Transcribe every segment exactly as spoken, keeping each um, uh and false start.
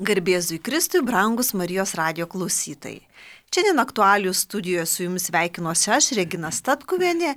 Garbėzui Kristui, brangus Marijos radijo klausytojai. Šiandien aktualijų studijoje su jumis sveikinuosi aš, Regina Statkuvienė,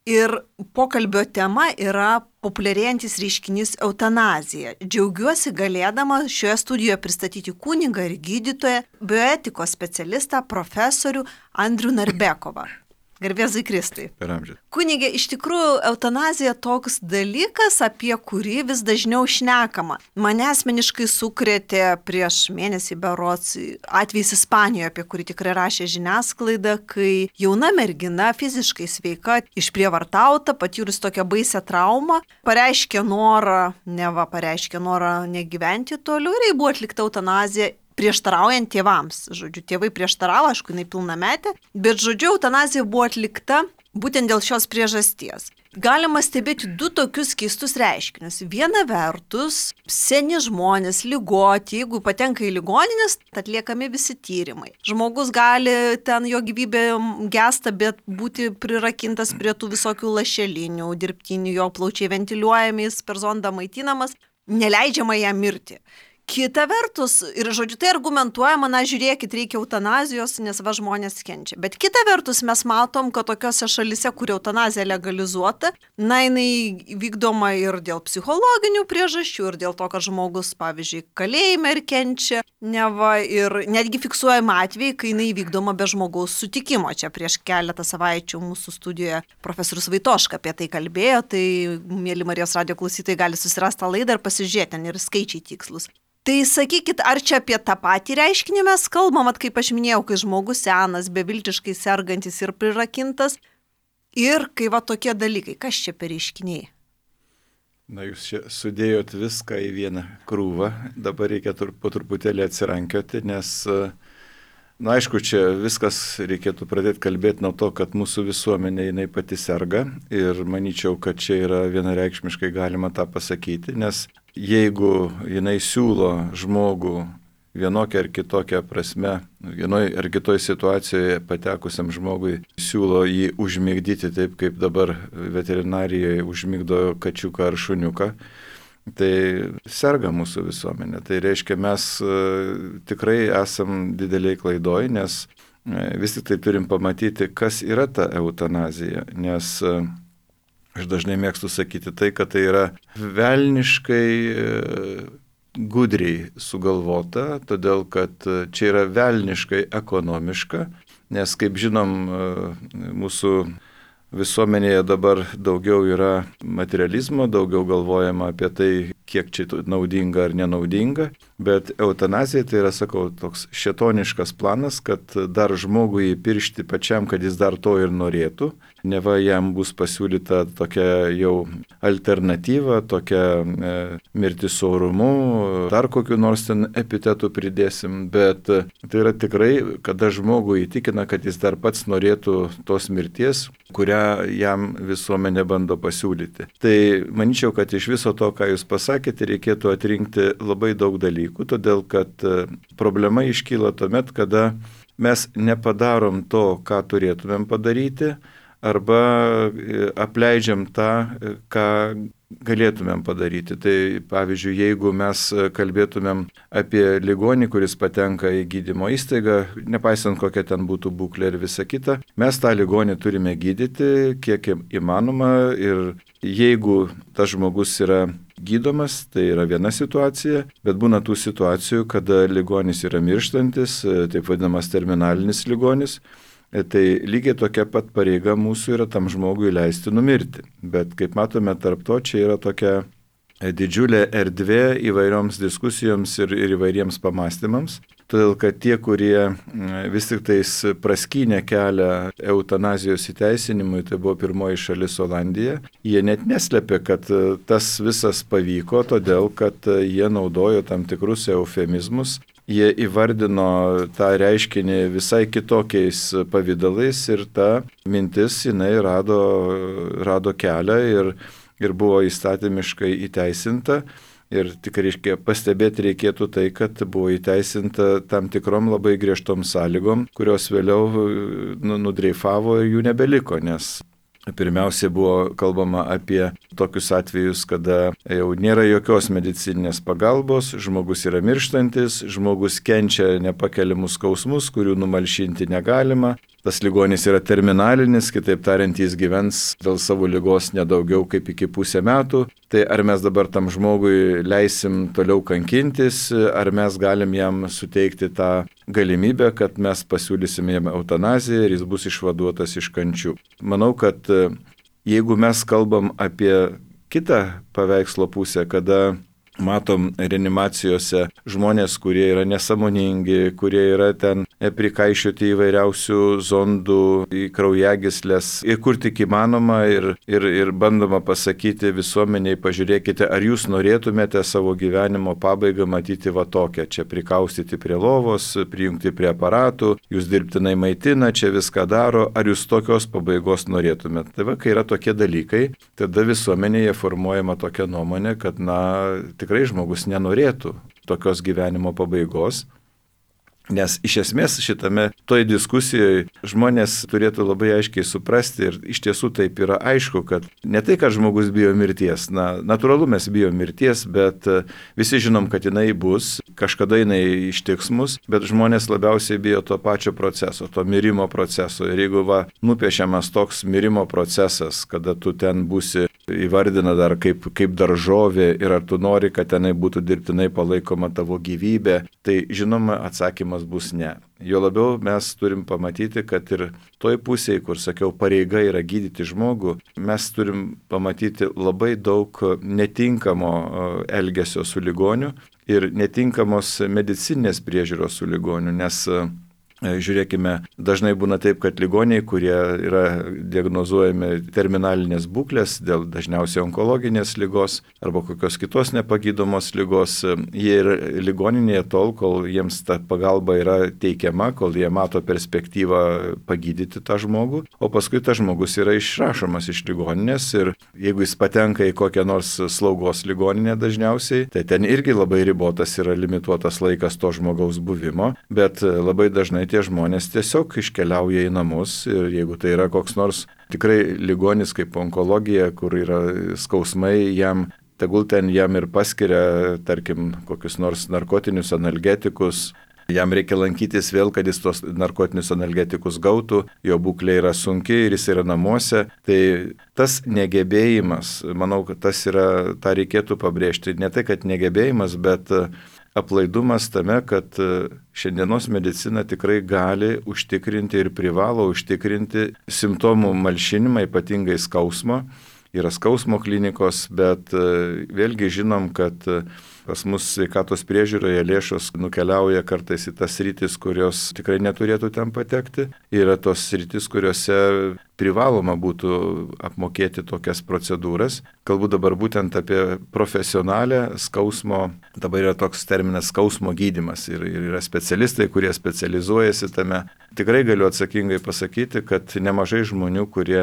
ir pokalbio tema yra populiarėjantis reiškinys eutanazija. Džiaugiuosi galėdama šioje studijoje pristatyti kunigą ir gydytoją, bioetikos specialistą, profesorių Andrių Narbekovą. Garbėzui Kristui. Per amžių. Kunigė, iš tikrųjų, eutanazija toks dalykas, apie kurį vis dažniau šnekama. Mane asmeniškai sukrėtė prieš mėnesį berods atvejis Ispanijoje, apie kurį tikrai rašė žiniasklaida, kai jauna mergina, fiziškai sveika, išprievartauta, patyrus tokią baisią traumą, pareiškė norą, neva pareiškė norą negyventi toliau ir jai buvo atlikta eutanazija. Prieštaraujant tėvams. Žodžiu, tėvai prieštaravo, aišku, jinai pilnametė, bet žodžiu, eutanazija buvo atlikta būtent dėl šios priežasties. Galima stebėti du tokius keistus reiškinius. Viena vertus, seni žmonės, ligoti, jeigu patenka į ligoninės, atliekami visi tyrimai. Žmogus gali, ten jo gyvybė gesta, bet būti prirakintas prie tų visokių lašelinių, dirbtinių, jo plaučiai ventiliuojami, per zondą maitinamas, neleidžiama jam mirti. Kita vertus, ir žodžiu, tai argumentuojama, na žiūrėkit, reikia eutanazijos, nes va žmonės kenčia. Bet kita vertus, mes matom, kad tokiose šalise, kur eutanazija legalizuota, na jinai vykdoma ir dėl psichologinių priežasčių, ir dėl to, kad žmogus, pavyzdžiui, kalėjime ir kenčia, neva, ir netgi fiksuojama atvejai, kai jinai vykdoma be žmogaus sutikimo. Čia prieš keletą savaičių mūsų studijoje profesorius Vaitoška apie tai kalbėjo, tai mėly Marijos radijo klausytojai gali susirasti tą laidą ir pasižiūrėti, ten ir skaičiai tikslus. Tai sakykit, ar čia apie tą patį reiškinį mes kalbam, at kaip aš minėjau, kai žmogus senas, beviltiškai sergantis ir prirakintas, ir kai va tokie dalykai, kas čia per reiškiniai? Na, jūs čia sudėjot viską į vieną krūvą, dabar reikia po truputėlį atsirankioti, nes, na aišku, čia viskas reikėtų pradėti kalbėti nuo to, kad mūsų visuomenė jinai pati serga ir manyčiau, kad čia yra vienareikšmiškai galima tą pasakyti, nes jeigu jinai siūlo žmogų vienokią ar kitokią prasme, vienoje ar kitoje situacijoje patekusiam žmogui siūlo jį užmigdyti taip, kaip dabar veterinarijoje užmigdo kačiuką ar šuniuką, tai serga mūsų visuomenė. Tai reiškia, mes tikrai esam dideliai klaidoj, nes vis tik tai turim pamatyti, kas yra ta eutanazija, nes aš dažnai mėgstu sakyti tai, kad tai yra velniškai gudriai sugalvota, todėl kad čia yra velniškai ekonomiška, nes kaip žinom, mūsų visuomenėje dabar daugiau yra materializmo, daugiau galvojama apie tai, kiek čia naudinga ar nenaudinga, bet eutanazija tai yra, sakau, toks šėtoniškas planas, kad dar žmogui įpiršti pačiam, kad jis dar to ir norėtų, neva jam bus pasiūlyta tokia jau alternatyva, tokia e, mirtis orumu, dar kokiu nors ten epitetų pridėsim, bet tai yra tikrai, kada žmogui įtikina, kad jis dar pats norėtų tos mirties, kurią jam visuomenė bando pasiūlyti. Tai manyčiau, kad iš viso to, ką jūs pasakėte, reikėtų atrinkti labai daug dalykų, todėl kad problema iškyla tuomet, kada mes nepadarom to, ką turėtumėm padaryti, arba apleidžiam tą, ką galėtumėm padaryti. Tai pavyzdžiui, jeigu mes kalbėtumėm apie ligonį, kuris patenka į gydymo įstaigą, nepaisant kokia ten būtų būklė ir visa kita, mes tą ligonį turime gydyti kiek įmanoma ir jeigu tas žmogus yra gydomas, tai yra viena situacija, bet būna tų situacijų, kada ligonis yra mirštantis, taip vadinamas terminalinis ligonis. Tai lygiai tokia pat pareiga mūsų yra tam žmogui leisti numirti. Bet kaip matome, tarp to čia yra tokia didžiulė erdvė įvairioms diskusijoms ir, ir įvairiems pamastymams. Todėl, kad tie, kurie vis tik tais praskynė kelią eutanazijos įteisinimui, tai buvo pirmoji šalis Olandija, jie net neslėpė, kad tas visas pavyko, todėl, kad jie naudojo tam tikrus eufemizmus. Jie įvardino tą reiškinį visai kitokiais pavydalais ir ta mintis jinai rado, rado kelią ir, ir buvo įstatymiškai įteisinta. Ir tik reiškia, pastebėti reikėtų tai, kad buvo įteisinta tam tikrom labai griežtom sąlygom, kurios vėliau nu, nudreifavo ir jų nebeliko, nes pirmiausia buvo kalbama apie tokius atvejus, kada jau nėra jokios medicininės pagalbos, žmogus yra mirštantis, žmogus kenčia nepakeliamus skausmus, kurių numalšinti negalima. Tas ligonis yra terminalinis, kitaip tariant, jis gyvens dėl savo ligos nedaugiau kaip iki pusę metų. Tai ar mes dabar tam žmogui leisim toliau kankintis, ar mes galim jam suteikti tą galimybę, kad mes pasiūlysim jam eutanaziją ir jis bus išvaduotas iš kančių. Manau, kad jeigu mes kalbam apie kitą paveikslo pusę, kada matom reanimacijose žmonės, kurie yra nesąmoningi, kurie yra ten prikaišioti įvairiausių zondų į kraujagyslės ir kur tik įmanoma ir, ir, ir bandoma pasakyti visuomeniai, pažiūrėkite, ar jūs norėtumėte savo gyvenimo pabaigą matyti va tokią, čia prikaustyti prie lovos, prijungti prie aparatų, jūs dirbtinai maitina, čia viską daro, ar jūs tokios pabaigos norėtumėte. Tai va, kai yra tokie dalykai, tada visuomenėje formuojama tokia nuomonė, kad na, tikrai žmogus nenorėtų tokios gyvenimo pabaigos, nes iš esmės šitame toj diskusijoje žmonės turėtų labai aiškiai suprasti ir iš tiesų taip yra aišku, kad ne tai, kad žmogus bijo mirties, na, natūralu mes bijo mirties, bet visi žinom, kad jinai bus, kažkada jinai ištiks mus, bet žmonės labiausiai bijo to pačio proceso, to mirimo proceso. Ir jeigu va, nupiešiamas toks mirimo procesas, kada tu ten būsi įvardina dar kaip, kaip daržovė ir ar tu nori, kad tenai būtų dirbtinai palaikoma tavo gyvybė, tai žinoma atsakymas bus ne. Jo labiau mes turim pamatyti, kad ir toj pusėje, kur sakiau, pareiga yra gydyti žmogų, mes turim pamatyti labai daug netinkamo elgesio su ligoniu ir netinkamos medicininės priežiūros su ligoniu, nes žiūrėkime, dažnai būna taip, kad ligoniai, kurie yra diagnozuojami terminalinės būklės dėl dažniausiai onkologinės ligos arba kokios kitos nepagydomos ligos, jie yra ligoninėje tol, kol jiems ta pagalba yra teikiama, kol jie mato perspektyvą pagydyti tą žmogų, o paskui tas žmogus yra išrašomas iš ligoninės ir jeigu jis patenka į kokią nors slaugos ligoninę dažniausiai, tai ten irgi labai ribotas yra limituotas laikas to žmogaus buvimo, bet labai dažnai tie žmonės tiesiog iškeliauja į namus ir jeigu tai yra koks nors tikrai ligonis kaip onkologija, kur yra skausmai, jam tegul ten jam ir paskiria, tarkim, kokius nors narkotinius analgetikus, jam reikia lankytis vėl, kad jis tos narkotinius analgetikus gautų, jo būklė yra sunki ir jis yra namuose, tai tas negebėjimas, manau, kad tas yra, tą reikėtų pabrėžti, ne tai, kad negebėjimas, bet aplaidumas tame, kad šiandienos medicina tikrai gali užtikrinti ir privalo užtikrinti simptomų malšinimą, ypatingai skausmo. Yra skausmo klinikos, bet vėlgi žinom, kad pas mus sveikatos priežiūroje lėšos nukeliauja kartais į tas sritis, kurios tikrai neturėtų ten patekti. Yra tos sritis, kuriuose privaloma būtų apmokėti tokias procedūras. Kalbu dabar būtent apie profesionalę skausmo, dabar yra toks terminas skausmo gydymas ir, ir yra specialistai, kurie specializuojasi tame. Tikrai galiu atsakingai pasakyti, kad nemažai žmonių, kurie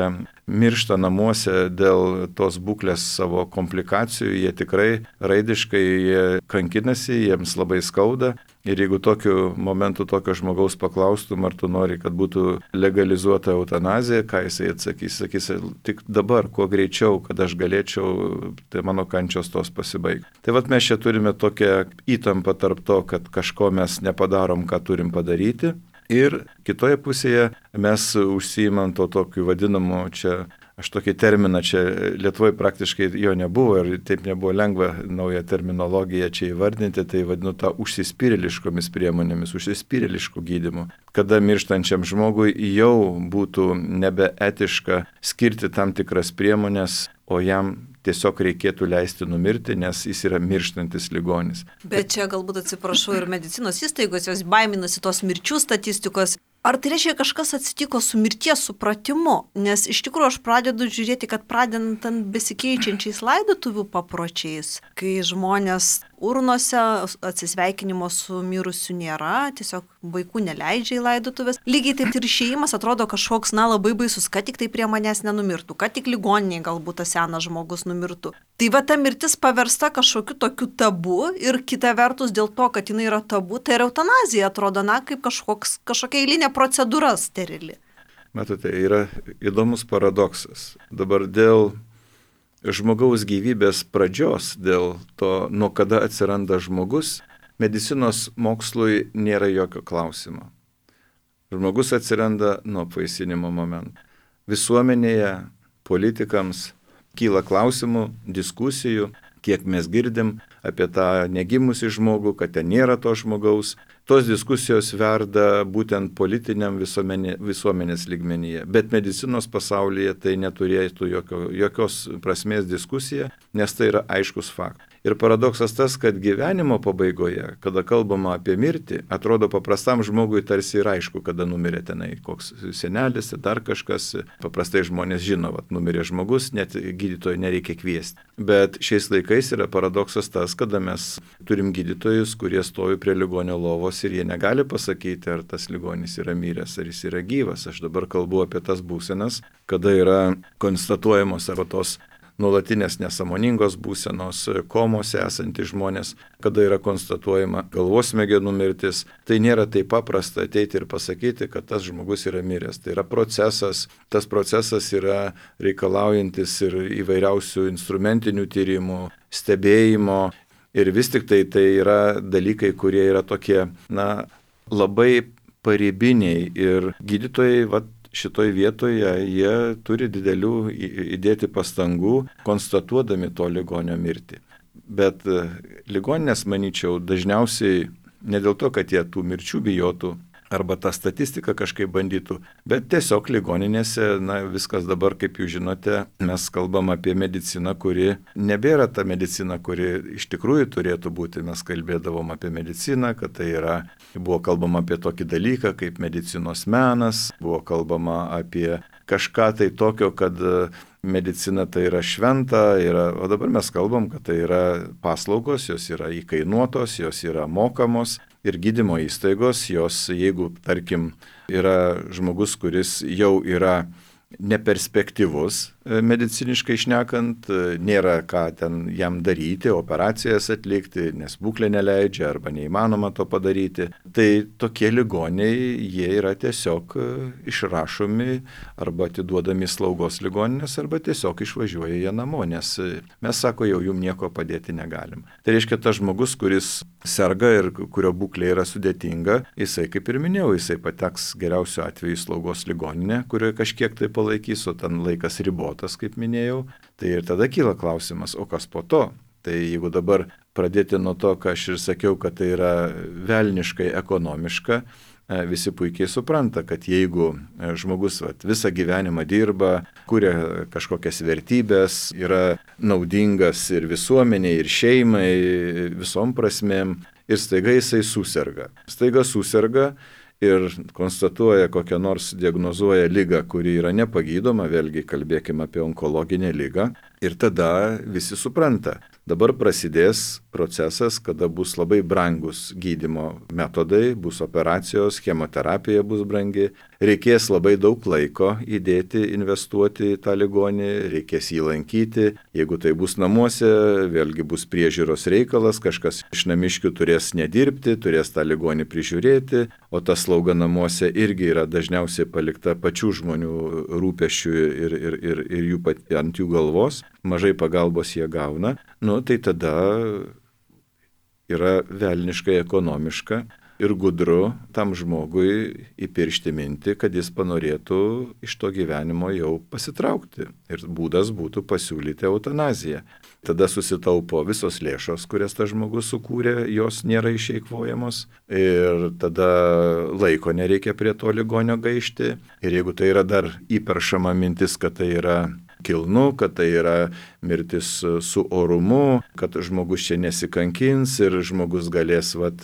miršta namuose dėl tos būklės savo komplikacijų, jie tikrai raidiškai jie kankinasi, jiems labai skauda. Ir jeigu tokiu momentu tokio žmogaus paklaustum, ar tu nori, kad būtų legalizuota eutanazija, ką jisai atsakys, sakys, tik dabar, kuo greičiau, kad aš galėčiau, tai mano kančios tos pasibaigti. Tai vat mes čia turime tokią įtampą tarp to, kad kažko mes nepadarom, ką turim padaryti. Ir kitoje pusėje mes užsiimam to tokiu vadinamu čia, aš tokį terminą čia Lietuvoje praktiškai jo nebuvo ir taip nebuvo lengva naują terminologiją čia įvardinti, tai vadinu tą užsispyrėliškomis priemonėmis, užsispyrėliškų gydymų. Kada mirštančiam žmogui jau būtų nebeetiška skirti tam tikras priemonės, o jam tiesiog reikėtų leisti numirti, nes jis yra mirštantis ligonis. Bet čia galbūt atsiprašau ir medicinos įstaigos, jos baiminasi tos mirčių statistikos. Ar tai reiškia, kažkas atsitiko su mirties supratimu? Nes iš tikrųjų aš pradedu žiūrėti, kad pradedant besikeičiančiais laidotuvių papročiais, kai žmonės urnose atsisveikinimo su mirusiu nėra, tiesiog vaikų neleidžia į laidotuvės. Lygiai taip ir išėjimas atrodo kažkoks, na, labai baisus, kad tik tai prie manęs nenumirtų, kad tik ligoniniai galbūt tas senas žmogus numirtų. Tai va ta mirtis paversta kažkokiu tokiu tabu ir kita vertus dėl to, kad jinai yra tabu, tai ir eutanazija atrodo, na, kaip kažkoks, kažkokia eilinė procedūra sterili. Matote, yra įdomus paradoksas. Dabar dėl žmogaus gyvybės pradžios, dėl to, nuo kada atsiranda žmogus, medicinos mokslui nėra jokio klausimo. Žmogus atsiranda nuo apvaisinimo momento. Visuomenėje, politikams kyla klausimų, diskusijų, kiek mes girdim apie tą negimusį žmogų, kad ten nėra to žmogaus. Tos diskusijos verda būtent politiniam visuomenė, visuomenės lygmenyje, bet medicinos pasaulyje tai neturėtų jokio, jokios prasmės diskusija, nes tai yra aiškus faktas. Ir paradoksas tas, kad gyvenimo pabaigoje, kada kalbama apie mirtį, atrodo paprastam žmogui tarsi ir aišku, kada numirė tenai koks senelis, dar kažkas. Paprastai žmonės žino, vat, numirė žmogus, net gydytojo nereikia kviesti. Bet šiais laikais yra paradoksas tas, kada mes turim gydytojus, kurie stovi prie ligonio lovos ir jie negali pasakyti, ar tas ligonis yra miręs, ar jis yra gyvas. Aš dabar kalbu apie tas būsenas, kada yra konstatuojamos arba tos nuolatinės nesąmoningos būsenos, komose esantys žmonės, kada yra konstatuojama galvos smegenų mirtis. Tai nėra taip paprasta ateiti ir pasakyti, kad tas žmogus yra miręs. Tai yra procesas, tas procesas yra reikalaujantis ir įvairiausių instrumentinių tyrimų, stebėjimo. Ir vis tik tai tai yra dalykai, kurie yra tokie, na, labai paribiniai ir gydytojai, vat, šitoj vietoje jie turi didelių įdėti pastangų, konstatuodami to ligonio mirtį. Bet ligoninės, manyčiau, dažniausiai ne dėl to, kad jie tų mirčių bijotų arba tą statistiką kažkaip bandytų, bet tiesiog ligoninėse, na, viskas dabar, kaip jūs žinote, mes kalbam apie mediciną, kuri nebėra ta medicina, kuri iš tikrųjų turėtų būti. Mes kalbėdavom apie mediciną, kad tai yra, buvo kalbama apie tokį dalyką kaip medicinos menas, buvo kalbama apie kažką tai tokio, kad medicina tai yra šventa, yra, o dabar mes kalbam, kad tai yra paslaugos, jos yra įkainuotos, jos yra mokamos. Ir gydymo įstaigos, jos, jeigu, tarkim, yra žmogus, kuris jau yra neperspektyvus mediciniškai šnekant, nėra ką ten jam daryti, operacijas atlikti, nes būklė neleidžia arba neįmanoma to padaryti, tai tokie ligoniai, jie yra tiesiog išrašomi arba atiduodami slaugos ligoninės arba tiesiog išvažiuoja jie namo, nes mes, sako, jau jum nieko padėti negalim. Tai reiškia, tas žmogus, kuris serga ir kurio būklė yra sudėtinga, jisai, kaip ir minėjau, jisai pateks geriausiu atveju į slaugos ligoninę, kurioje kažkiek tai palaikys, o ten laikas ribotas, kaip minėjau. Tai ir tada kyla klausimas, o kas po to? Tai jeigu dabar pradėti nuo to, ką aš ir sakiau, kad tai yra velniškai ekonomiška, visi puikiai supranta, kad jeigu žmogus vat, visą gyvenimą dirba, kuria kažkokias vertybės, yra naudingas ir visuomeniai, ir šeimai, visom prasmėm, ir staiga jisai suserga. Staiga suserga ir konstatuoja kokią nors, diagnozuoja ligą, kuri yra nepagydoma, vėlgi kalbėkime apie onkologinę ligą, ir tada visi supranta. Dabar prasidės procesas, kada bus labai brangus gydymo metodai, bus operacijos, chemoterapija bus brangi, reikės labai daug laiko įdėti, investuoti į tą ligonį, reikės jį lankyti, jeigu tai bus namuose, vėlgi bus priežiūros reikalas, kažkas iš namiškių turės nedirbti, turės tą ligonį prižiūrėti, o ta slauga namuose irgi yra dažniausiai palikta pačių žmonių rūpesčių ir, ir, ir, ir jų pat, ant jų galvos, mažai pagalbos jie gauna, nu tai tada yra velniškai ekonomiška ir gudru tam žmogui įpiršti mintį, kad jis panorėtų iš to gyvenimo jau pasitraukti. Ir būdas būtų pasiūlyti eutanaziją. Tada susitaupo visos lėšos, kurias tas žmogus sukūrė, jos nėra išeikvojamos. Ir tada laiko nereikia prie to ligonio gaišti. Ir jeigu tai yra dar įperšama mintis, kad tai yra kilnu, kad tai yra mirtis su orumu, kad žmogus čia nesikankins ir žmogus galės vat,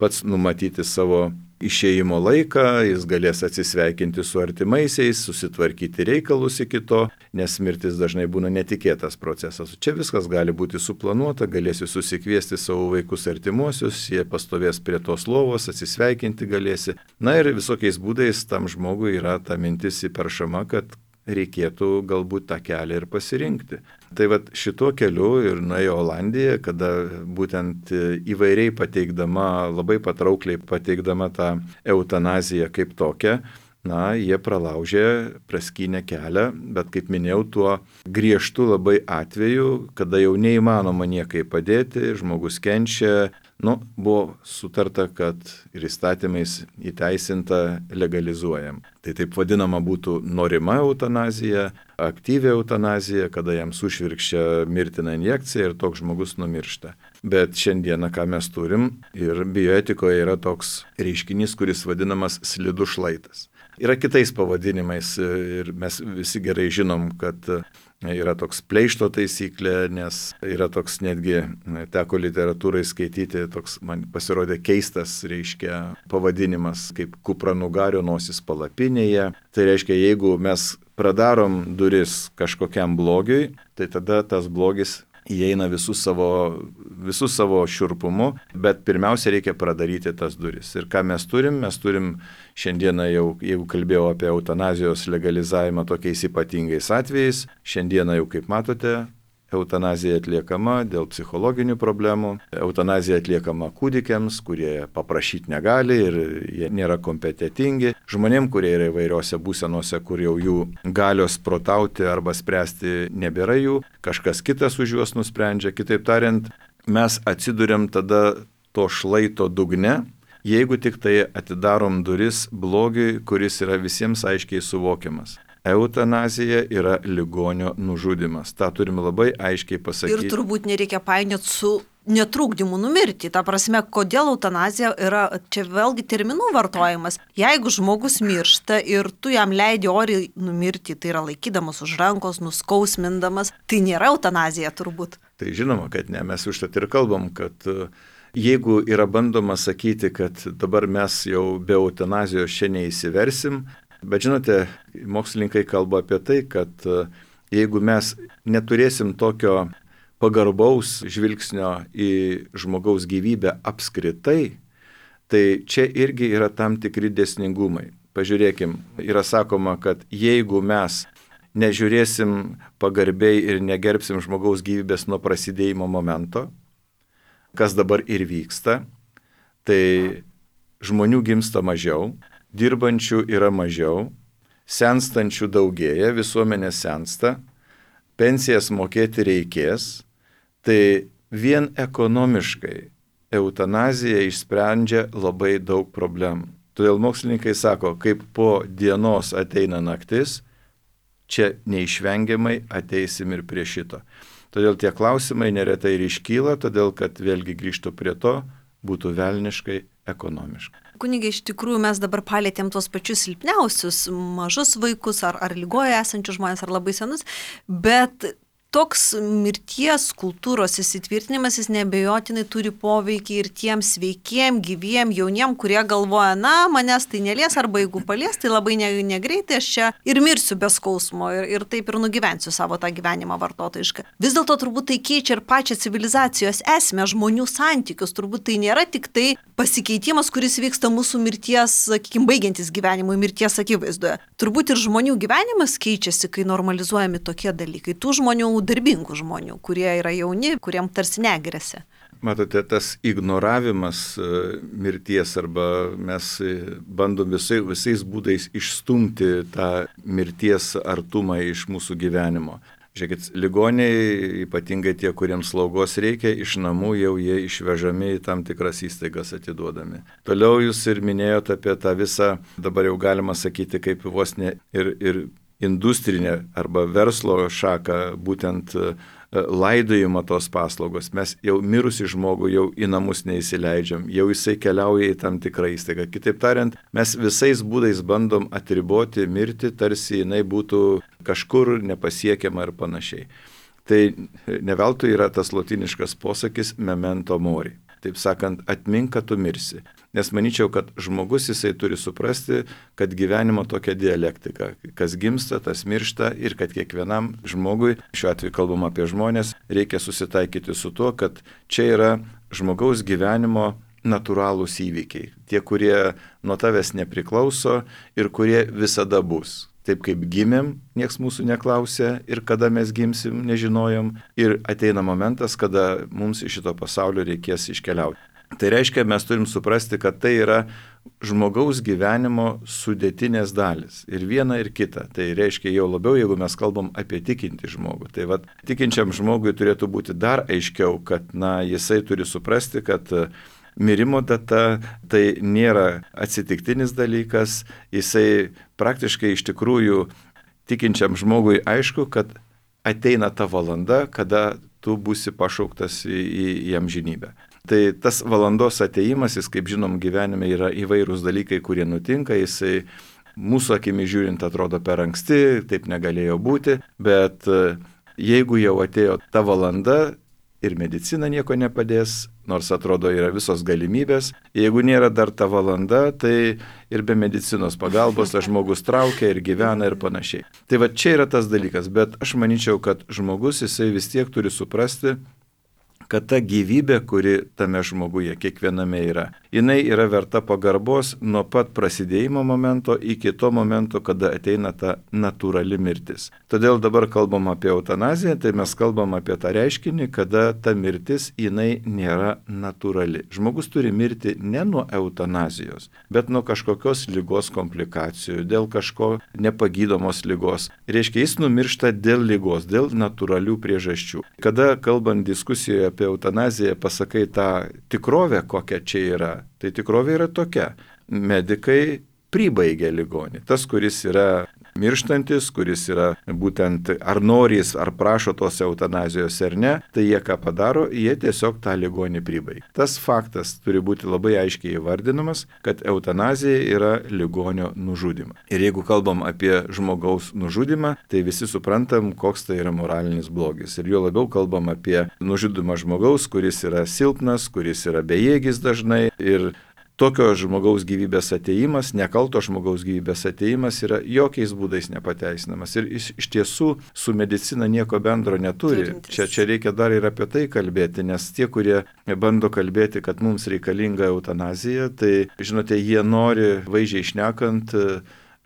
pats numatyti savo išėjimo laiką, jis galės atsisveikinti su artimaisiais, susitvarkyti reikalus iki to, nes mirtis dažnai būna netikėtas procesas. Čia viskas gali būti suplanuota, galėsi susikviesti savo vaikus artimuosius, jie pastovės prie tos lovos, atsisveikinti galėsi. Na ir visokiais būdais tam žmogui yra ta mintis įperšama, kad reikėtų galbūt tą kelią ir pasirinkti. Tai vat šituo keliu ir nuėjo Olandija, kada būtent įvairiai pateikdama, labai patraukliai pateikdama tą eutanaziją kaip tokią, na, jie pralaužė, praskynė kelią, bet kaip minėjau, tuo griežtu labai atveju, kada jau neįmanoma niekai padėti, žmogus kenčia, nu, buvo sutarta, kad ir įstatymais įteisinta legalizuojam. Tai taip vadinama būtų norima eutanazija, aktyvi eutanazija, kada jam sušvirkščia mirtina injekcija ir toks žmogus numiršta. Bet šiandieną, ką mes turim, ir bioetikoje yra toks reiškinys, kuris vadinamas slidus šlaitas. Yra kitais pavadinimais ir mes visi gerai žinom, kad yra toks pleišto taisyklė, nes yra toks netgi, teko literatūrai skaityti, toks man pasirodė keistas, reiškia, pavadinimas kaip kupranugario nosis palapinėje. Tai reiškia, jeigu mes pradarom duris kažkokiam blogiui, tai tada tas blogis įeina visų savo, visų savo šiurpumu, bet pirmiausia reikia pradaryti tas duris. Ir ką mes turim? Mes turim šiandieną jau, jeigu kalbėjau apie eutanazijos legalizavimą tokiais ypatingais atvejais, šiandieną jau, kaip matote, eutanazija atliekama dėl psichologinių problemų, eutanazija atliekama kūdikiams, kurie paprašyti negali ir jie nėra kompetentingi, žmonėm, kurie yra įvairiose būsenose, kur jau jų galios protauti arba spręsti nebėra jų, kažkas kitas už juos nusprendžia. Kitaip tariant, mes atsiduriam tada to šlaito dugne, jeigu tik tai atidarom duris blogiui, kuris yra visiems aiškiai suvokiamas. Eutanazija yra ligonio nužudymas. Ta turime labai aiškiai pasakyti. Ir turbūt nereikia painioti su netrukdymu numirti. Ta prasme, kodėl eutanazija yra, čia vėlgi terminų vartojimas. Jeigu žmogus miršta ir tu jam leidi oriai numirti, tai yra laikydamas už rankos, nuskausmindamas, tai nėra eutanazija turbūt. Tai žinoma, kad ne, mes užtat ir kalbam, kad jeigu yra bandoma sakyti, kad dabar mes jau be eutanazijos čia neįsiversim, bet žinote, mokslininkai kalba apie tai, kad jeigu mes neturėsim tokio pagarbaus žvilgsnio į žmogaus gyvybę apskritai, tai čia irgi yra tam tikri dėsningumai. Pažiūrėkim, yra sakoma, kad jeigu mes nežiūrėsim pagarbiai ir negerbsim žmogaus gyvybės nuo prasidėjimo momento, kas dabar ir vyksta, tai žmonių gimsta mažiau, dirbančių yra mažiau, senstančių daugėja, visuomenė sensta, pensijas mokėti reikės, tai vien ekonomiškai eutanazija išsprendžia labai daug problemų. Todėl mokslininkai sako, kaip po dienos ateina naktis, čia neišvengiamai ateisim ir prie šito. Todėl tie klausimai neretai ir iškyla, todėl kad vėlgi grįžtų prie to, būtų velniškai ekonomiškai. Kunige, iš tikrųjų mes dabar palėtėm tuos pačius silpniausius, mažus vaikus ar, ar lygoje esančius žmonės, ar labai senus, bet toks mirties kultūros įsitvirtinimas, jis neabejotinai turi poveikį ir tiem sveikiem, gyviem, jauniem, kurie galvoja, na, manęs tai nelies, arba jeigu palies, tai labai ne, negreitai aš čia ir mirsiu be skausmo ir, ir taip ir nugyvensiu savo tą gyvenimą vartotojišką. Vis dėlto turbūt tai keičia ir pačią civilizacijos esmę, žmonių santykius, turbūt tai nėra tik tai pasikeitimas, kuris vyksta mūsų mirties, sakykime, baigiantis gyvenimui, mirties akivaizdoje. Turbūt ir žmonių gyvenimas keičiasi, kai normalizuojami tokie dalykai. Tų žmonių, darbingų žmonių, kurie yra jauni, kuriem tarsi negrėsia. Matote, tas ignoravimas mirties arba mes bandom visai, visais būdais išstumti tą mirties artumą iš mūsų gyvenimo. Žiūrėkit, ligoniai, ypatingai tie, kuriems slaugos reikia, iš namų jau jie išvežami į tam tikras įstaigas atiduodami. Toliau jūs ir minėjote apie tą visą, dabar jau galima sakyti, kaip vos ne ir, ir industrinė arba verslo šaka, būtent laidojimo tos paslaugos. Mes jau mirusi žmogų jau į namus neįsileidžiam, jau jisai keliauja į tam tikrą įstaigą. Kitaip tariant, mes visais būdais bandom atriboti mirtį, tarsi jinai būtų kažkur nepasiekiama ir panašiai. Tai ne veltui yra tas lotyniškas posakis memento mori. Taip sakant, atmink, kad tu mirsi. Nes manyčiau, kad žmogus jisai turi suprasti, kad gyvenimo tokia dialektika. Kas gimsta, tas miršta ir kad kiekvienam žmogui, šiuo atveju kalbam apie žmonės, reikia susitaikyti su tuo, kad čia yra žmogaus gyvenimo natūralūs įvykiai. Tie, kurie nuo tavęs nepriklauso ir kurie visada bus. Taip kaip gimėm, nieks mūsų neklausė ir kada mes gimsim, nežinojom. Ir ateina momentas, kada mums iš šito pasaulio reikės iškeliauti. Tai reiškia, mes turim suprasti, kad tai yra žmogaus gyvenimo sudėtinės dalis. Ir viena, ir kita. Tai reiškia jau labiau, jeigu mes kalbam apie tikintį žmogų. Tai vat, tikinčiam žmogui turėtų būti dar aiškiau, kad na, jisai turi suprasti, kad mirimo data tai nėra atsitiktinis dalykas. Jisai praktiškai iš tikrųjų tikinčiam žmogui aišku, kad ateina ta valanda, kada tu būsi pašauktas į, į, į amžinybę. Tai tas valandos ateimas, jis, kaip žinom, gyvenime yra įvairūs dalykai, kurie nutinka, jisai mūsų akimi žiūrint atrodo per anksti, taip negalėjo būti, bet jeigu jau atėjo ta valanda ir medicina nieko nepadės, nors atrodo yra visos galimybės, jeigu nėra dar ta valanda, tai ir be medicinos pagalbos tas žmogus traukia ir gyvena ir panašiai. Tai va čia yra tas dalykas, bet aš manyčiau, kad žmogus jisai vis tiek turi suprasti, kad ta gyvybė, kuri tame žmoguje kiekviename yra, jinai yra verta pagarbos nuo pat prasidėjimo momento iki to momento, kada ateina ta natūrali mirtis. Todėl dabar kalbam apie eutanaziją, tai mes kalbam apie tą reiškinį, kada ta mirtis jinai nėra natūrali. Žmogus turi mirti ne nuo eutanazijos, bet nuo kažkokios ligos komplikacijų, dėl kažko nepagydomos ligos. Reiškia, jis numiršta dėl ligos, dėl natūralių priežasčių. Kada kalbant diskusijoje apie eutanaziją pasakai tą tikrovę, kokia čia yra, tai tikrovė yra tokia. Medikai pribaigia ligonį. Tas, kuris yra mirštantis, kuris yra būtent ar norys, ar prašo tos eutanazijos ar ne, tai jie ką padaro, jie tiesiog tą ligonį pribaigia. Tas faktas turi būti labai aiškiai įvardinamas, kad eutanazija yra ligonio nužudymas. Ir jeigu kalbam apie žmogaus nužudymą, tai visi suprantam, koks tai yra moralinis blogis. Ir jo labiau kalbam apie nužudymą žmogaus, kuris yra silpnas, kuris yra bejėgis dažnai. Ir tokio žmogaus gyvybės ateimas, nekalto žmogaus gyvybės ateimas yra jokiais būdais nepateisinamas. Ir iš, iš tiesų su medicina nieko bendro neturi. Čia, čia reikia dar ir apie tai kalbėti, nes tie, kurie bando kalbėti, kad mums reikalinga eutanazija, tai, žinote, jie nori, vaizdžiai šnekant,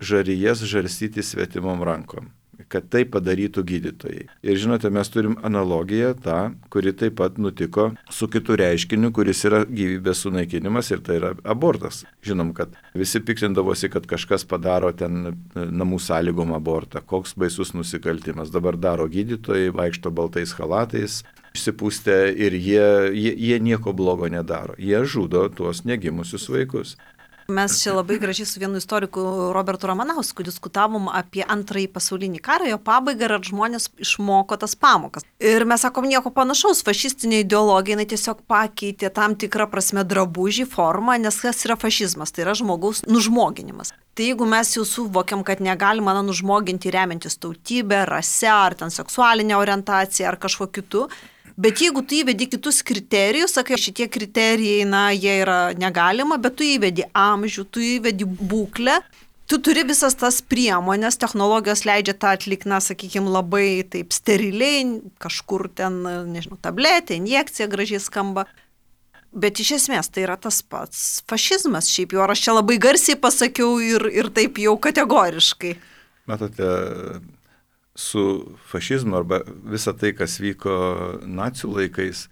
žarijas žarstyti svetimom rankom, kad tai padarytų gydytojai. Ir žinote, mes turim analogiją tą, kuri taip pat nutiko su kitu reiškiniu, kuris yra gyvybės sunaikinimas, ir tai yra abortas. Žinom, kad visi piktindavosi, kad kažkas padaro ten namų sąlygom abortą, koks baisus nusikaltimas. Dabar daro gydytojai, vaikšto baltais chalatais, išsipūstę ir jie, jie, jie nieko blogo nedaro. Jie žudo tuos negimusius vaikus. Mes čia labai gražiai su vienu istoriku Robertu Ramanausku diskutavom apie antrąjį pasaulinį karą, jo pabaigą ir ar žmonės išmoko tas pamokas. Ir mes sakom nieko panašaus, fašistinė ideologija, jinai tiesiog pakeitė tam tikrą prasme drabužį, formą, nes kas yra fašizmas, tai yra žmogaus nužmoginimas. Tai jeigu mes jau suvokiam, kad negalima na, nužmoginti remiantis tautybę, rase, ar ten seksualinę orientaciją, ar kažko kitu, bet jeigu tu įvedi kitus kriterijus, sakai, šitie kriterijai, na, jie yra negalima, bet tu įvedi amžių, tu įvedi būklę, tu turi visas tas priemonės, technologijos leidžia tą atlikti, na, sakykime, labai taip steriliai, kažkur ten, nežinau, tabletė, injekcija gražiai skamba. Bet iš esmės tai yra tas pats fašizmas, šiaip jau, ar aš čia labai garsiai pasakiau ir, ir taip jau kategoriškai. Matote, su fašizmu arba visa tai, kas vyko nacių laikais,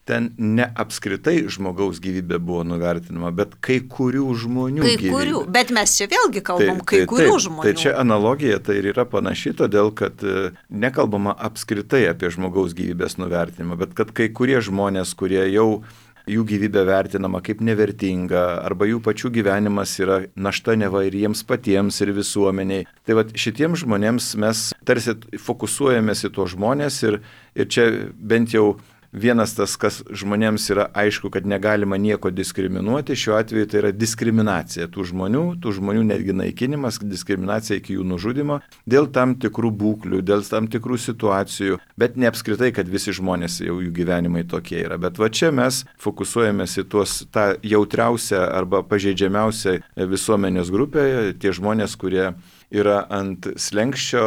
ten ne apskritai žmogaus gyvybė buvo nuvertinama, bet kai kurių žmonių kai gyvybė. Kurių, bet mes čia vėlgi kalbam, tai, kai tai, kurių taip, žmonių. Tai čia analogija tai ir yra panaši, todėl kad nekalbama apskritai apie žmogaus gyvybės nuvertinimą, bet kad kai kurie žmonės, kurie jau jų gyvybė vertinama kaip nevertinga, arba jų pačių gyvenimas yra našta neva ir jiems patiems, ir visuomeniai. Tai va šitiems žmonėms mes tarsi fokusuojamės į tuos žmonės ir, ir čia bent jau vienas tas, kas žmonėms yra aišku, kad negalima nieko diskriminuoti, šiuo atveju tai yra diskriminacija tų žmonių, tų žmonių netgi naikinimas, diskriminacija iki jų nužudimo, dėl tam tikrų būklių, dėl tam tikrų situacijų, bet ne apskritai, kad visi žmonės jau jų gyvenimai tokie yra. Bet va čia mes fokusuojamės į tuos, tą jautriausią arba pažeidžiamiausią visuomenės grupę, tie žmonės, kurie yra ant slenkščio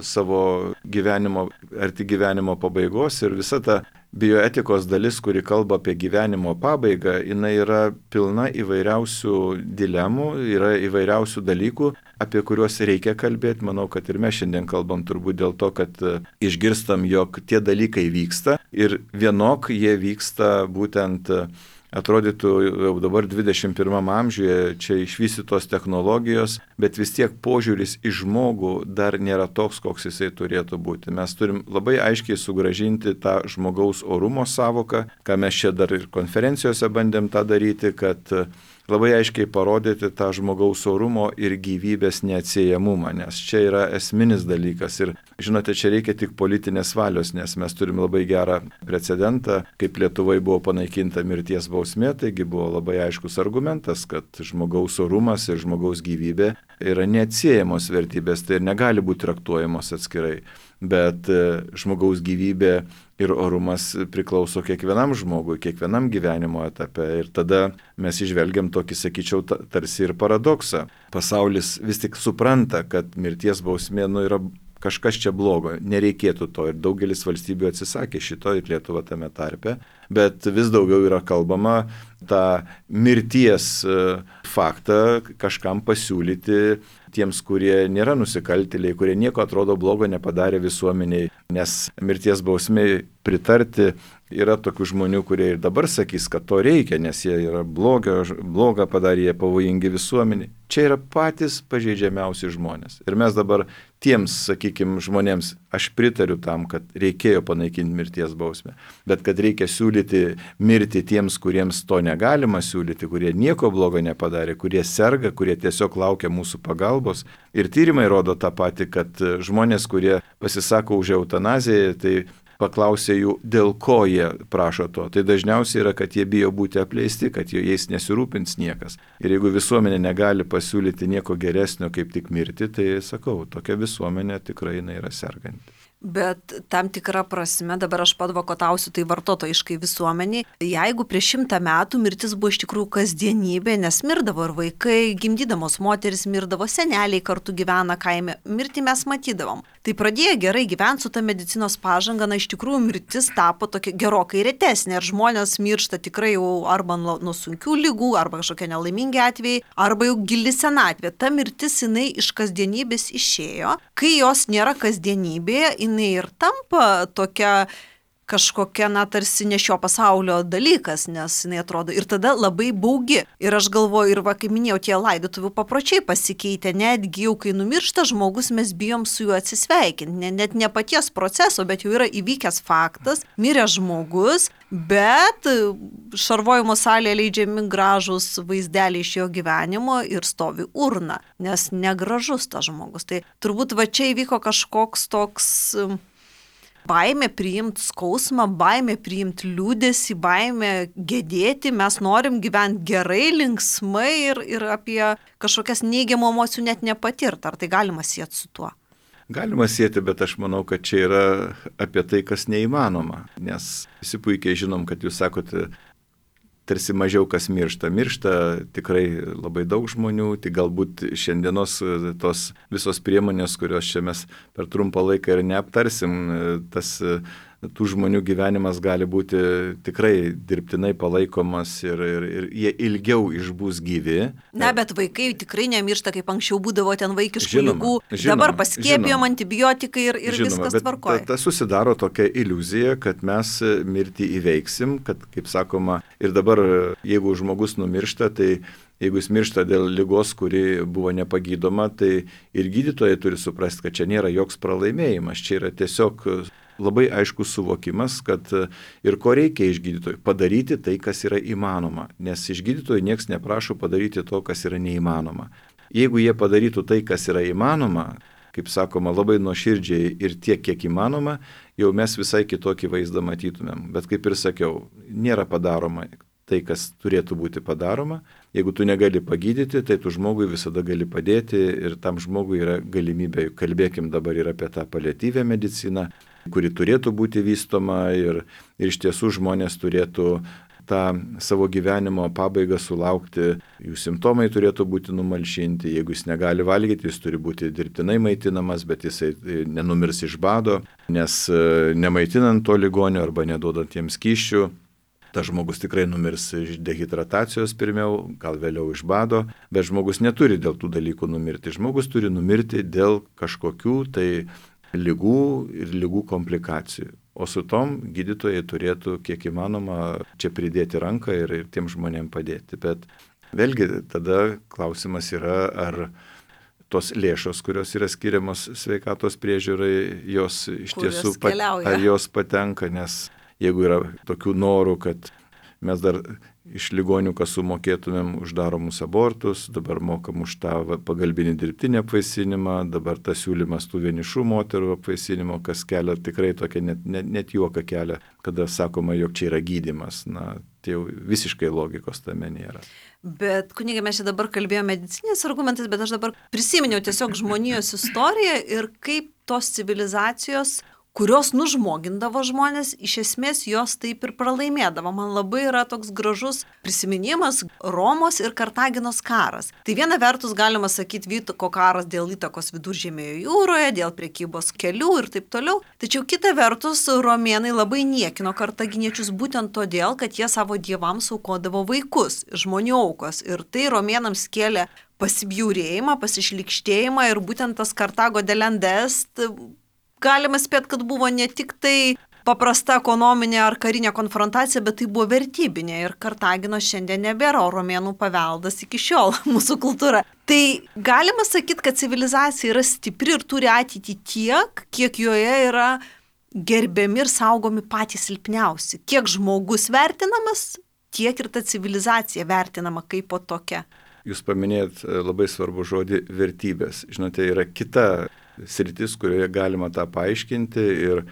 savo gyvenimo, arti gyvenimo pabaigos, ir visa ta bioetikos dalis, kuri kalba apie gyvenimo pabaigą, jinai yra pilna įvairiausių dilemų, yra įvairiausių dalykų, apie kuriuos reikia kalbėti. Manau, kad ir mes šiandien kalbam turbūt dėl to, kad išgirstam, jog tie dalykai vyksta ir vienok jie vyksta būtent atrodytų jau dabar dvidešimt pirmam amžiuje čia išvystytos technologijos, bet vis tiek požiūris į žmogų dar nėra toks, koks jisai turėtų būti. Mes turim labai aiškiai sugrąžinti tą žmogaus orumo savoką, ką mes čia dar ir konferencijose bandėm tą daryti, kad labai aiškiai parodyti tą žmogaus orumo ir gyvybės neatsiejamumą, nes čia yra esminis dalykas. Ir žinote, čia reikia tik politinės valios, nes mes turim labai gerą precedentą, kaip Lietuvoje buvo panaikinta mirties bausmė, taigi buvo labai aiškus argumentas, kad žmogaus orumas ir žmogaus gyvybė yra neatsiejamos vertybės, tai ir negali būti traktuojamos atskirai. Bet žmogaus gyvybė ir orumas priklauso kiekvienam žmogui, kiekvienam gyvenimo etape. Ir tada mes išvelgiam tokį, sakyčiau, tarsi ir paradoksą. Pasaulis vis tik supranta, kad mirties bausmė nu, yra kažkas čia blogo, nereikėtų to. Ir daugelis valstybių atsisakė šito, ir Lietuva tame tarpe. Bet vis daugiau yra kalbama tą mirties faktą kažkam pasiūlyti tiems, kurie nėra nusikaltėliai, kurie nieko atrodo blogo nepadarė visuomeniai, nes mirties bausmei pritarti yra tokių žmonių, kurie ir dabar sakys, kad to reikia, nes jie yra blogio, blogą padarė, jie pavojingi visuomeniai. Čia yra patys pažeidžiamiausi žmonės. Ir mes dabar tiems, sakykime, žmonėms, aš pritariu tam, kad reikėjo panaikinti mirties bausmę, bet kad reikia siūlyti mirti tiems, kuriems to negalima siūlyti, kurie nieko blogo nepadarė, kurie serga, kurie tiesiog laukia mūsų pagalbos. Ir tyrimai rodo tą patį, kad žmonės, kurie pasisako už eutanaziją, tai paklausė jų, dėl ko jie prašo to. Tai dažniausiai yra, kad jie bijo būti apleisti, kad jais nesirūpins niekas. Ir jeigu visuomenė negali pasiūlyti nieko geresnio, kaip tik mirti, tai sakau, tokia visuomenė tikrai jinai yra serganti. Bet tam tikrą prasme, dabar aš padvokotausiu tai vartotojiškai visuomeniai, jeigu prieš šimtą metų mirtis buvo iš tikrųjų kasdienybė, nes mirdavo ir vaikai, gimdydamos moteris mirdavo, seneliai kartu gyvena kaime, mirtį mes matydavom. Tai pradėjo gerai gyventi su ta medicinos pažanga, na iš tikrųjų mirtis tapo tokia gerokai retesnė ir žmonės miršta tikrai jau arba nuo, nuo sunkių ligų, arba kažkokie nelaimingi atvejai, arba jau gili senatvė. Ta mirtis jinai iš kasdienybės išėjo, kai jos nėra kasdienybėje, jinai ir tampa tokia kažkokia, na, tarsi ne šio pasaulio dalykas, nes jinai atrodo ir tada labai baugi. Ir aš galvoju, ir va, kaip minėjau, tie laidotuvių papročiai pasikeitė, netgi jau kai numiršta žmogus, mes bijom su juo atsisveikinti, ne, net ne paties proceso, bet jau yra įvykęs faktas, mirė žmogus, bet šarvojimo salėje leidžiami gražus vaizdeliai iš jo gyvenimo ir stovi urna, nes negražus tas žmogus. Tai turbūt va čia įvyko kažkoks toks baimė priimti skausmą, baimė priimti liūdesį, baimė gedėti, mes norim gyventi gerai, linksmai ir, ir apie kažkokias neigiamų emocijų net nepatirt. Ar tai galima sieti su tuo? Galima sieti, bet aš manau, kad čia yra apie tai, kas neįmanoma, nes visi puikiai žinom, kad jūs sakote, tarsi mažiau kas miršta. Miršta tikrai labai daug žmonių, tik galbūt šiandienos tos visos priemonės, kurios čia mes per trumpą laiką ir neaptarsim, tas tų žmonių gyvenimas gali būti tikrai dirbtinai palaikomas ir, ir, ir jie ilgiau išbūs gyvi. Na, bet vaikai tikrai nemiršta, kaip anksčiau būdavo ten vaikiškų žinoma, ligų. Žinoma, dabar paskiepijom žinoma, antibiotikai ir, ir žinoma, viskas tvarkoja. Ta, ta susidaro tokia iliuzija, kad mes mirtį įveiksim, kad, kaip sakoma, ir dabar jeigu žmogus numiršta, tai jeigu jis miršta dėl ligos, kuri buvo nepagydoma, tai ir gydytojai turi suprasti, kad čia nėra joks pralaimėjimas, čia yra tiesiog labai aiškus suvokimas, kad ir ko reikia iš gydytojų - padaryti tai, kas yra įmanoma, nes iš gydytojų nieks neprašo padaryti to, kas yra neįmanoma. Jeigu jie padarytų tai, kas yra įmanoma, kaip sakoma, labai nuoširdžiai ir tiek, kiek įmanoma, jau mes visai kitokį vaizdą matytumėm. Bet kaip ir sakiau, nėra padaroma tai, kas turėtų būti padaroma. Jeigu tu negali pagydyti, tai tu žmogui visada gali padėti ir tam žmogui yra galimybė, kalbėkim dabar ir apie tą paliatyvią mediciną, kuri turėtų būti vystoma ir, ir iš tiesų žmonės turėtų tą savo gyvenimo pabaigą sulaukti, jų simptomai turėtų būti numalšinti, jeigu jis negali valgyti, jis turi būti dirbtinai maitinamas, bet jisai nenumirs iš bado, nes nemaitinant to ligonio arba neduodant jiems kyščių, tas žmogus tikrai numirs iš dehidratacijos pirmiau, gal vėliau iš bado, bet žmogus neturi dėl tų dalykų numirti. Žmogus turi numirti dėl kažkokių tai ligų ir ligų komplikacijų. O su tom gydytojai turėtų kiek įmanoma čia pridėti ranką ir, ir tiem žmonėm padėti. Bet vėlgi tada klausimas yra, ar tos lėšos, kurios yra skiriamos sveikatos priežiūrai, jos iš tiesų pat, ar jos patenka, nes jeigu yra tokių norų, kad mes dar iš ligonių kasų mokėtumėm už daromus abortus, dabar mokam už tą pagalbinį dirbtinį apvaisinimą, dabar tas siūlymas tų vienišų moterų apvaisinimo, kas kelia tikrai tokia net, net, net juoką kelia, kada sakoma, jog čia yra gydymas. Na, tai jau visiškai logikos tame nėra. Bet, kunigai, mes čia dabar kalbėjome medicinės argumentais, bet aš dabar prisiminiau tiesiog žmonijos istoriją ir kaip tos civilizacijos, kurios nužmogindavo žmonės, iš esmės jos taip ir pralaimėdavo. Man labai yra toks gražus prisiminimas Romos ir Kartaginos karas. Tai viena vertus galima sakyti vyko karas dėl įtakos Viduržemėjo jūroje, dėl prekybos kelių ir taip toliau. Tačiau kita vertus romėnai labai niekino kartaginiečius būtent todėl, kad jie savo dievams aukodavo vaikus, žmonių aukos. Ir tai romėnams kėlė pasibjaurėjimą, pasišlikštėjimą ir būtent tas Kartago delendest galima spėti, kad buvo ne tik tai paprasta ekonominė ar karinė konfrontacija, bet tai buvo vertybinė ir Kartagino šiandien nebėra, o romėnų paveldas iki šiol mūsų kultūra. Tai galima sakyti, kad civilizacija yra stipri ir turi ateitį tiek, kiek joje yra gerbiami ir saugomi patys silpniausi. Kiek žmogus vertinamas, tiek ir ta civilizacija vertinama kaip po tokia. Jūs paminėjot labai svarbų žodį vertybės. Žinote, yra kita sritis, kurioje galima tą paaiškinti ir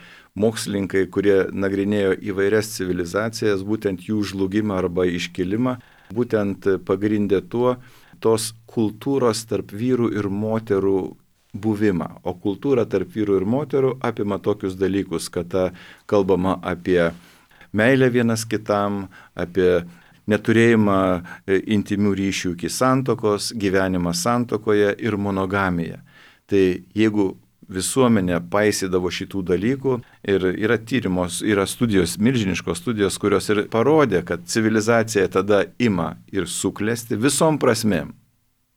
mokslininkai, kurie nagrinėjo įvairias civilizacijas, būtent jų žlugimą arba iškilimą, būtent pagrindė tuo tos kultūros tarp vyrų ir moterų buvimą. O kultūra tarp vyrų ir moterų apima tokius dalykus, kad kalbama apie meilę vienas kitam, apie neturėjimą intimių ryšių iki santokos, gyvenimą santokoje ir monogamiją. Tai jeigu visuomenė paisydavo šitų dalykų ir yra tyrimos, yra studijos, milžiniškos studijos, kurios ir parodė, kad civilizacija tada ima ir suklesti visom prasmėm,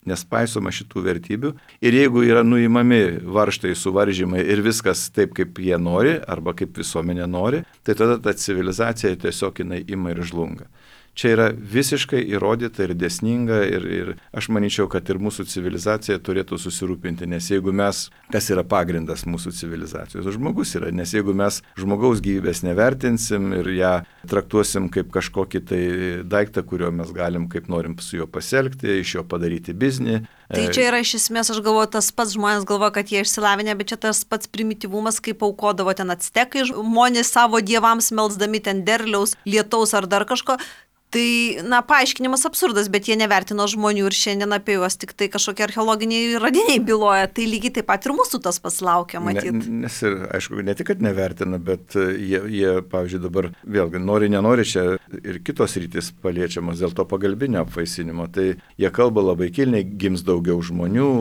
nes paisoma šitų vertybių. Ir jeigu yra nuimami varžtai, suvaržymai ir viskas taip, kaip jie nori arba kaip visuomenė nori, tai tada ta civilizacija tiesiog jinai ima ir žlunga. Čia yra visiškai įrodyta ir dėsninga ir, ir aš manyčiau, kad ir mūsų civilizacija turėtų susirūpinti, nes jeigu mes, kas yra pagrindas mūsų civilizacijos, žmogus yra, nes jeigu mes žmogaus gyvybės nevertinsim ir ją traktuosim kaip kažkokį tai daiktą, kurio mes galim kaip norim su juo pasielgti, iš jo padaryti biznį. Tai čia yra iš esmės, aš galvoju, tas pats žmonės galvoja, kad jie išsilavinę, bet čia tas pats primityvumas, kaip aukodavo ten actekai žmonės savo dievams melsdami ten derliaus, lietaus ar dar kažko. Tai, na, paaiškinimas absurdas, bet jie nevertino žmonių ir šiandien apie juos tik tai kažkokie archeologiniai radiniai byloja. Tai lygiai taip pat ir mūsų tas pasilaukia, matyti. Ne, nes ir, aišku, ne tik, kad nevertina, bet jie, jie pavyzdžiui, dabar vėlgi nori, nenori, čia ir kitos rytis paliečiamos dėl to pagalbinio apvaisinimo. Tai jie kalba labai kilniai, gims daugiau žmonių,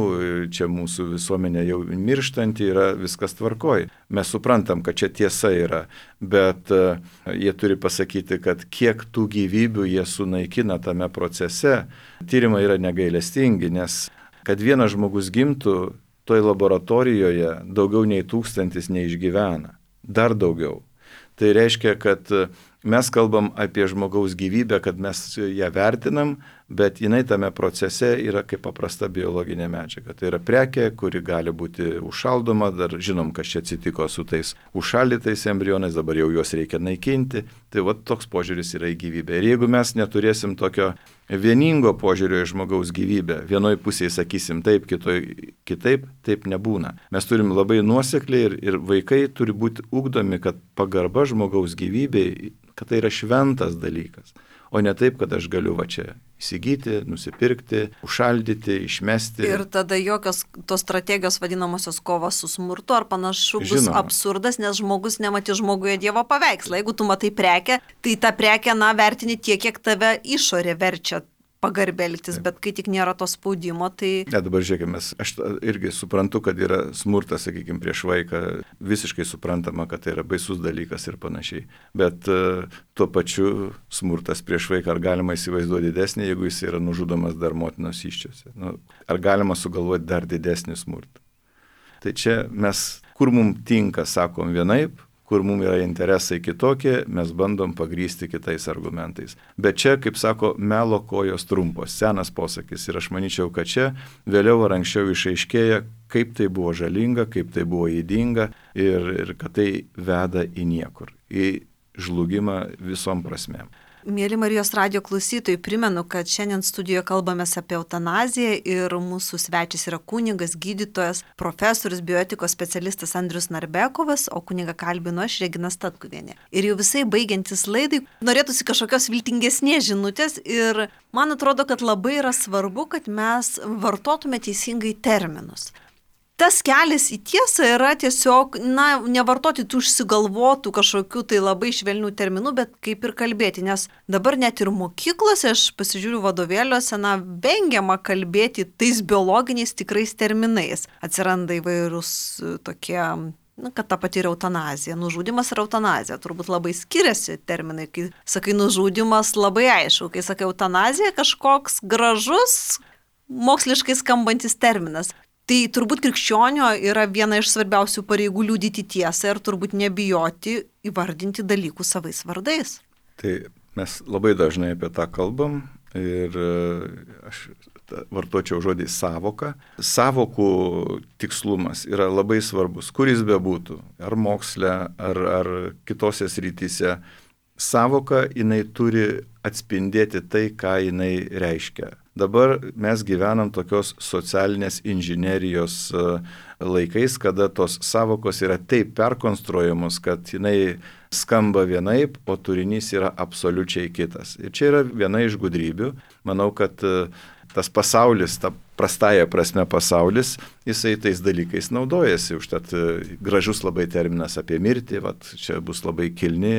čia mūsų visuomenė jau mirštanti yra, viskas tvarkoj. Mes suprantam, kad čia tiesa yra, bet uh, jie turi pasakyti, kad kiek tų gyvybių jie sunaikina tame procese. Tyrimai yra negailestingi, nes kad vienas žmogus gimtų, toj laboratorijoje daugiau nei tūkstantis neišgyvena. Dar daugiau. Tai reiškia, kad mes kalbam apie žmogaus gyvybę, kad mes ją vertinam, bet jinai tame procese yra kaip paprasta biologinė medžiaga. Tai yra prekė, kuri gali būti užšaldoma, dar žinom, kas čia atsitiko su tais užšaldytais embrionais, dabar jau juos reikia naikinti. Tai va toks požiūris yra į gyvybę. Ir jeigu mes neturėsim tokio vieningo požiūrio į žmogaus gyvybę, vienoj pusėje sakysim taip, kitoj kitaip, taip nebūna. Mes turim labai nuosekliai ir, ir vaikai turi būti ugdomi, kad pagarba žmogaus gyvybei, kad tai yra šventas dalykas. O ne taip, kad aš galiu va čia įsigyti, nusipirkti, užšaldyti, išmesti. Ir tada jokios tos strategijos vadinamosios kovos su smurtu ar panašu bus Žinoma. absurdas, nes žmogus nematė žmoguje Dievo paveikslą. Jeigu tu matai prekę, tai tą prekę, na, vertini tiek, kiek tave išorė verčia pagarbeltis, bet kai tik nėra to spaudimo, tai... Ne, dabar žiūrėkime, aš irgi suprantu, kad yra smurtas, sakykime, prieš vaiką, visiškai suprantama, kad tai yra baisus dalykas ir panašiai. Bet uh, tuo pačiu smurtas prieš vaiką, ar galima įsivaizduoti didesnį, jeigu jis yra nužudomas dar motinos įsčiose? Nu, ar galima sugalvoti dar didesnį smurtą? Tai čia mes, kur mums tinka, sakom vienaip, kur mums yra interesai kitokie, mes bandom pagrysti kitais argumentais. Bet čia, kaip sako, melo kojos trumpos, senas posakis. Ir aš manyčiau, kad čia vėliau ar anksčiau išaiškėja, kaip tai buvo žalinga, kaip tai buvo ydinga ir, ir kad tai veda į niekur, į žlugimą visom prasmėm. Mėly Marijos radijo klausytojai, primenu, kad šiandien studijoje kalbamės apie eutanaziją ir mūsų svečias yra kunigas, gydytojas, profesorius, bioetikos specialistas Andrius Narbekovas, o kunigą kalbinu aš, Regina Statkuvienė. Ir jau visai baigiantis laidai, norėtųsi kažkokios viltingesnės žinutės ir man atrodo, kad labai yra svarbu, kad mes vartotume teisingai terminus. Tas kelias į tiesą yra tiesiog, na, nevartoti tų užsigalvotų kažkokių tai labai švelnių terminų, bet kaip ir kalbėti, nes dabar net ir mokyklose, aš pasižiūriu vadovėliuose, na, vengiama kalbėti tais biologiniais tikrais terminais. Atsiranda įvairūs tokie, na, kad ta pati yra eutanazija. Nužudymas ir eutanazija. Turbūt labai skiriasi terminai. Kai sakai nužudymas, labai aišku. Kai sakai eutanazija, kažkoks gražus, moksliškai skambantis terminas. Tai turbūt krikščionio yra viena iš svarbiausių pareigų liudyti tiesą ir turbūt nebijoti įvardinti dalykų savais vardais. Tai mes labai dažnai apie tą kalbam ir aš vartočiau žodį sąvoka. Sąvokų tikslumas yra labai svarbus, kur jis bebūtų, ar moksle, ar, ar kitose srityse. Sąvoka, jinai turi atspindėti tai, ką jinai reiškia. Dabar mes gyvenam tokios socialinės inžinerijos laikais, kada tos sąvokos yra taip perkonstruojamos, kad jinai skamba vienaip, o turinys yra absoliučiai kitas. Ir čia yra viena iš gudrybių. Manau, kad tas pasaulis, ta prastąja prasme pasaulis, jisai tais dalykais naudojasi. Užtat gražus labai terminas apie mirtį, vat, čia bus labai kilni,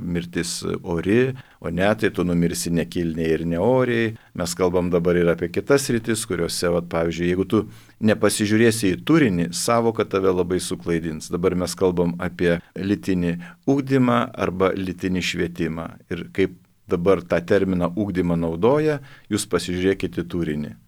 mirtis ori, o ne, tai tu numirsi nekilniai ir neoriai. Mes kalbam dabar ir apie kitas rytis, kuriuose, vat, pavyzdžiui, jeigu tu nepasižiūrėsi į turinį, sąvoka tave labai suklaidins. Dabar mes kalbam apie lytinį ugdymą arba lytinį švietimą. Ir kaip dabar tą terminą ugdymą naudoja, jūs pasižiūrėkite turinį.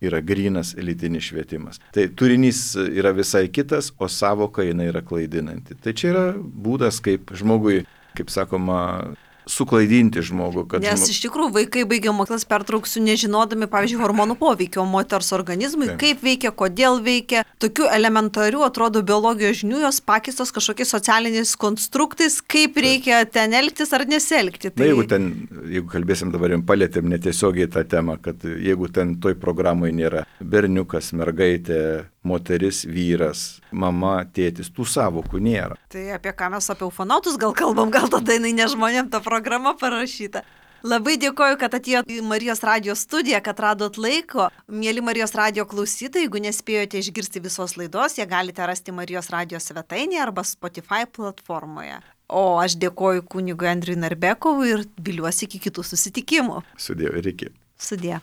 Yra grynas lytinis švietimas. Tai turinys yra visai kitas, o sąvoka jinai yra klaidinanti. Tai čia yra būdas, kaip žmogui, kaip sakoma, suklaidinti žmogų. Kad Nes žmog... iš tikrųjų vaikai baigia mokyklas pertrauksiu nežinodami, pavyzdžiui, hormonų poveikio moters organizmui, Taip. Kaip veikia, kodėl veikia. Tokių elementarių, atrodo, biologijos žinių jos pakistos kažkokiais socialiniais konstruktais, kaip Taip. Reikia ten elgtis ar nesielgti. Tai... Na, jeigu ten, jeigu kalbėsim dabar, jums palėtėm netiesiogiai tą temą, kad jeigu ten toj programai nėra berniukas, mergaitė, moteris, vyras, mama, tėtis, tų sąvokų nėra. Tai apie ką mes apie ufonautus gal kalbam, gal tada jinai ne žmonėm ta programa parašyta. Labai dėkoju, kad atėjot į Marijos radijo studiją, kad radot laiko. Mėly Marijos radijo klausytojai, jeigu nespėjote išgirsti visos laidos, ją galite rasti Marijos radijo svetainėje arba Spotify platformoje. O aš dėkoju kunigui Andriui Narbekovui ir viliuosi iki kitų susitikimų. Sudie ir iki. Sudie.